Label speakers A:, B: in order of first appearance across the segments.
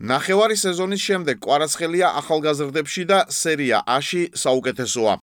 A: ნახევარი სეზონის შემდეგ კვარაცხელია ახალგაზრდებში და სერია A-ში საუკეთესოა.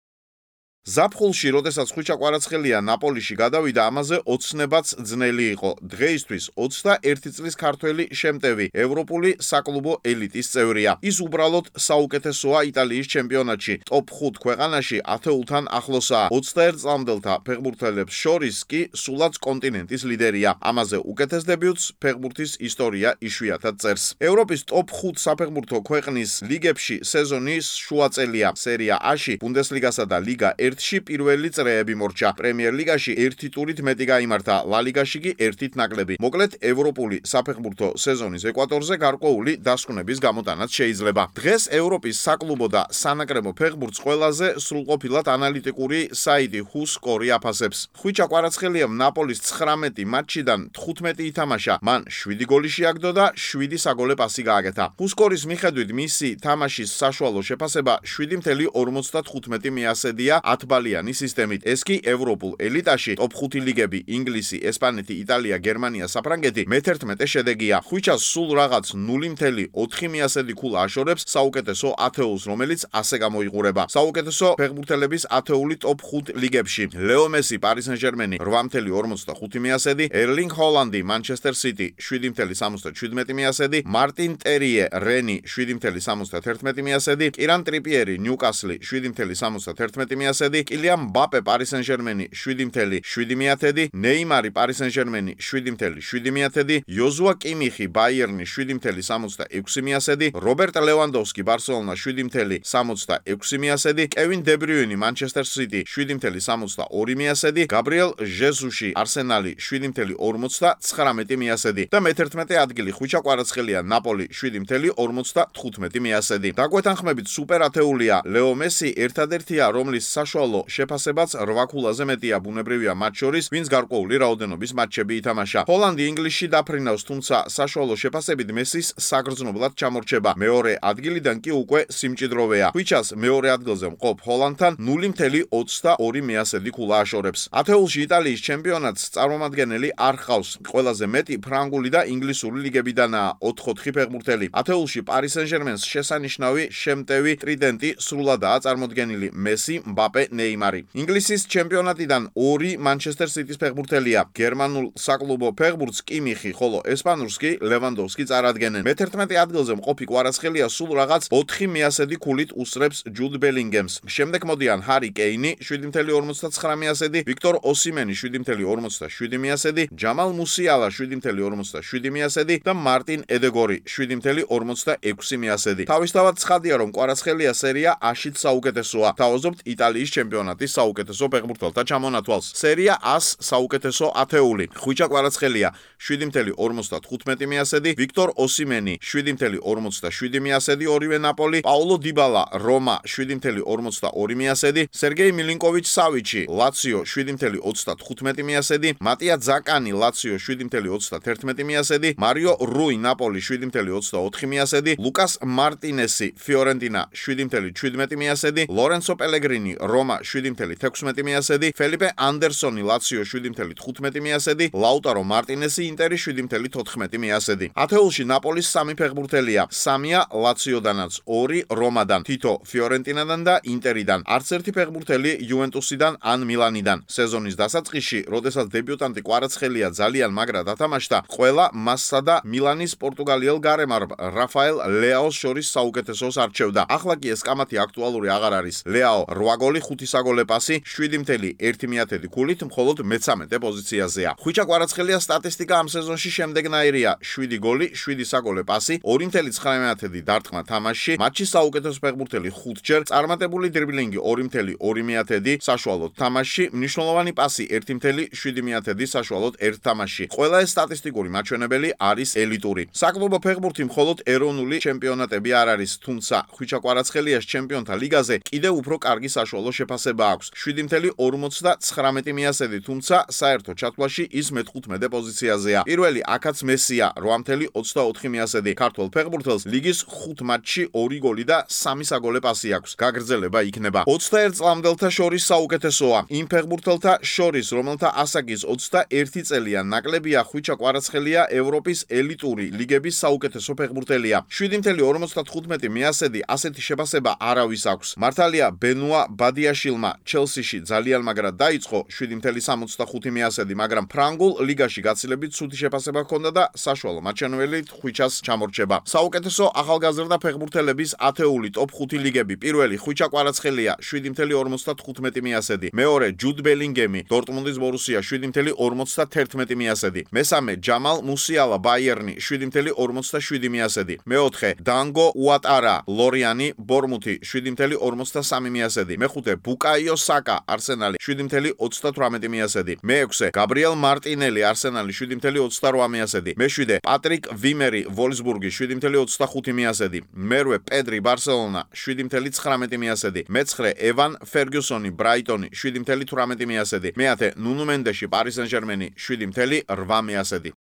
A: ზაფხულში, როდესაც ხვიჩა კვარაცხელია ნაპოლიში გადავიდა, ამაზე ოცნებაც ძნელი იყო. დღეისთვის 21 წლის ქართველი შემტევი ევროპული საკლუბო ელიტის წევრია. ის უბრალოდ საუკეთესოა იტალიის ჩემპიონატში. ტოპ 5 ქვეყანაში ათეულთან ახლოსაა. 21 წლამდელთა ფეხბურთელებს შორის კი სულაც კონტინენტის ლიდერია. ამაზე უკეთეს დებიუტს ფეხბურთის ისტორია იშვიათად წერს. ევროპის ტოპ 5 საფეხბურთო ქვეყნის ლიგებში სეზონის შუაწელია. სერია A-ში ბუნდესლიგასა და ლიგა 1-ში პირველი წრეები მორჩა. პრემიერ ლიგაში 1 ტურით მეტი გაიმართა, ლა ლიგაში კი 1-ით ნაკლები. მოკლედ, ევროპული საფეხბურთო სეზონის ეკვატორზე გარკვეული დასკვნების გამოტანაც შეიძლება. დღეს ევროპის საკლუბო და სანაკრებო ფეხბურთს ყველაზე სრულყოფილად ანალიტიკური საიტი WhoScored აფასებს. ხვიჩა კვარაცხელიამ ნაპოლის 19 მატჩიდან 15 ითამაშა. მან 7 გოლი შეაგდო და 7 საგოლე პასი გააკეთა. WhoScored-ის მიხედვით მისი თამაშის საშუალო შეფასება 7.55 მიასედია 10-ბალიანი სისტემით. ეს კი ევროპულ ელიტაში ტოპ 5 ლიგები ინგლისი, ესპანეთი, იტალია, გერმანია, საფრანგეთი მე-11 შედეგია. ხვიჩას სულ რაღაც 0.4 მიასედი ქულა აშორებს საუკეთესო ათეულს, რომელიც ასე გამოიყურება. საუკეთესო ფეხბურთელების ათეული ტოპ 5 ლიგებში. ლეო მესი, პარი სენ-ჟერმენი 8.45 მიასედი, ერლინგ ჰოლანდი, მანჩესტერ სიტი 7.77 მიასედი, მარტინ ერიე, რენი 7.71 მიასედი, კირან ტრიპიერი, ნიუკასლი 7.71 მიასედი, კილიან მბაპე, პარი სენ-ჟერმენი 7.7 მიათედი, ნეიმარი, პარი სენ-ჟერმენი 7.7 მიათედი, იოზუა კიმიხი, ბაიერნი 7.66 მიასედი, რობერტ ლევანდოვსკი, ბარსელონა 7.66 მიასედი, კევინ დე ბრიუინი, მანჩესტერ სიტი 7.62 მიასედი, გაბრიელ ჟეზუსი, არსენალი 7.59 მიასედი და მე-11 ადგილი ხვიჩა კვარაცხელია, ნაპოლი 7.55 მიასედი. დაგვეთანხმებით სუპერ ათეულია. ლეო მესი ერთადერთია, რომლის საშუალო შეფასებაც 8 ქულაზე მეტია, ბუნებრივია მათ შორის, ვინც გარკვეული რაოდენობის მატჩები ითამაშა. ჰოლანდი ინგლისში დაფრინავს, თუმცა საშუალო შეფასებით მესის საგრძნობლად ჩამორჩება. მეორე ადგილიდან კი უკვე სიმჭიდროვეა. ხვიჩას მეორე ადგილზე მყოფ ჰოლანდთან 0.22 მიასედი ქულა აშორებს. ათეულში იტალიის ჩემპიონატს წარმომადგენელი არ ჰყავს. ყველაზე მეტი ფრანგული და ინგლისური ლიგებიდანაა 4 ფეხბურთელი. ათეულში პარი სენ-ჟერმენს შესანიშნავი შემტევი ტრიდენტი სრულადაა წარმოდგენილი: მესი, მბაპე, ნეიმარი. ინგლისის ჩემპიონატიდან 2 მანჩესტერ სიტის ფეხბურთელია. გერმანულ საკლუბო ფეხბურთს კიმიხი, ხოლო ესპანურს კი ლევანდოვსკი წარადგენენ. მე-11 ადგილზე მყოფი კვარაცხელია სულ რაღაც 4 მიასედი ქულით უსწრებს ჯუდ ბელინგემს. შემდეგ მოდიან ჰარი კეინი 7.59 მიასედი, ვიქტორ ოსიმენი 7.57 მიასედი, ჯამალ მუსიალა 7.57 მიასედი და მარტინ ედეგორი 7.46 მიასედი. თავისთავად ცხადია, რომ კვარაცხელია სერია A-შიც საუკეთესოა. თავაზობთ იტალიის ჩემპიონატის საუკეთესო ფეხბურთელთა ჩამონათვალს. სერია A-ს საუკეთესო ათეული. ხვიჩა კვარაცხელია 7.55 მიასედი, ვიქტორ ოსიმენი 7.47 მიასედი, ორივე ნაპოლი, პაულო იბალა, რომა 7.42 მიასედი, სერგეი მილინკოვიჩ სავიჩი, ლაციო 7.35 მიასედი, მატია ძაკანი, ლაციო 7.31 მიასედი, მარიო რუი, ნაპოლი 7.24 მიასედი, ლუკას მარტინესი, ფიორენტინა 7.17 მიასედი, ლორენცო პელეგრინი, რომა 7.16 მიასედი, ფელიპე ანდერსონი, ლაციო 7.15 მიასედი, ლაუტარო მარტინესი, ინტერი 7.14 მიასედი. ათეულში ნაპოლის 3 ფეხბურთელია, 3-ია ლაციოდანაც, 2 რომადან, თითო ფიორენტინადან და ინტერიდან. არც ერთი ფეხბურთელი იუვენტუსიდან ან მილანიდან. სეზონის დასაწყისში, როდესაც დებიუტანტი კვარაცხელია ძალიან მაგრად ათამაშდა, ყველა მასსა და მილანის პორტუგალიელ გარემარბ რაფაელ ლეაოს შორის საუკეთესოს არჩევდა. ახლა კი ეს კამათი აქტუალური აღარ არის. ლეაო 8 გოლი, 5 საგოლე პასი, 7.1 მიათედი ქულით, მხოლოდ მე-13 პოზიციაზეა. ხვიჩა კვარაცხელია სტატისტიკა ამ სეზონში შემდეგნაირია: 7 გოლი, 7 საგოლე პასი, 2.9 დარტყმა თამაშში, მატჩის საუკეთესო ფეხბურთელი 5-ჯერ, წარმატებული დრიბლინგი 2.2 საშუალოდ თამაშში, მნიშვნელოვანი პასი 1.7 საშუალოდ ერთ თამაშში. ყველა ეს სტატისტიკური მაჩვენებელი არის ელიტური. საკლუბო ფეხბურთი მხოლოდ ეროვნული ჩემპიონატები არ არის, თუმცა ხვიჩა კვარაცხელიას ჩემპიონთა ლიგაზე კიდევ უფრო კარგი საშუალო შეფასება აქვს 7.59 მიასედი, თუმცა საერთო ჩათვლაში ის მე-15 პოზიციაზეა. პირველი აქაც მესია 8.24 მიასედი. ქართველ ფეხბურთელს ლიგის 5 მატჩში 2 გოლი და 3 საგოლე პასი აქვს. გაგრძელება იქნება. 21 წლამდელთა შორის საუკეთესოა. იმ ფეხბურთელთა შორის, რომელთა ასაკის 21 წელია ნაკლებია, ხვიჩა კვარაცხელია ევროპის ელიტური ლიგების საუკეთესო ფეხბურთელია. 7.55 მიასედი ასეთი შეფასება არავის აქვს. მართალია ბენუა ბადიაშილმა ჩელსიში ძალიან მაგრად დაიწყო 7.65 მიასედი, მაგრამ ფრანგულ ლიგაში გაცილებით ცუდი შეფასება ჰქონდა და საშუალო მაჩვენებლით ხვიჩას ჩამორჩება. საუკეთესო ახალგაზრდა ფეხბურთელების ათეული ტოპ 5 ლიგები. პირველი ხვიჩა კვარაცხელია 7.55 მიასედი. მეორე ჯუდ ბელინგემი დორტმუნდის ბორუსია 7.51 მიასედი. მესამე ჯამალ მუსიალა ბაიერნი 7.47 მიასედი. მეოთხე დანგო უატარა ლორიანი ბორმუთი 7.53 მიასედი. მეხუთე ბუკაიო საკა არსენალი 7.38 მიასედი. მეექვსე გაბრიელ მარტინელი არსენალი 7.28 მიასედი. მეშვიდე პატრიკ ვიმერი ვოლსბურგი 7.25 მიასედი. მერვე პედრი ბარსელონა 7.19 მიასედი. მეცხრე ევან ფერგიუსონი ბრაიტონი 7.18 მიასედი. მეათე ნუნუ მენდეში პარი სენ ჟერმენი 7.8 მიასედი.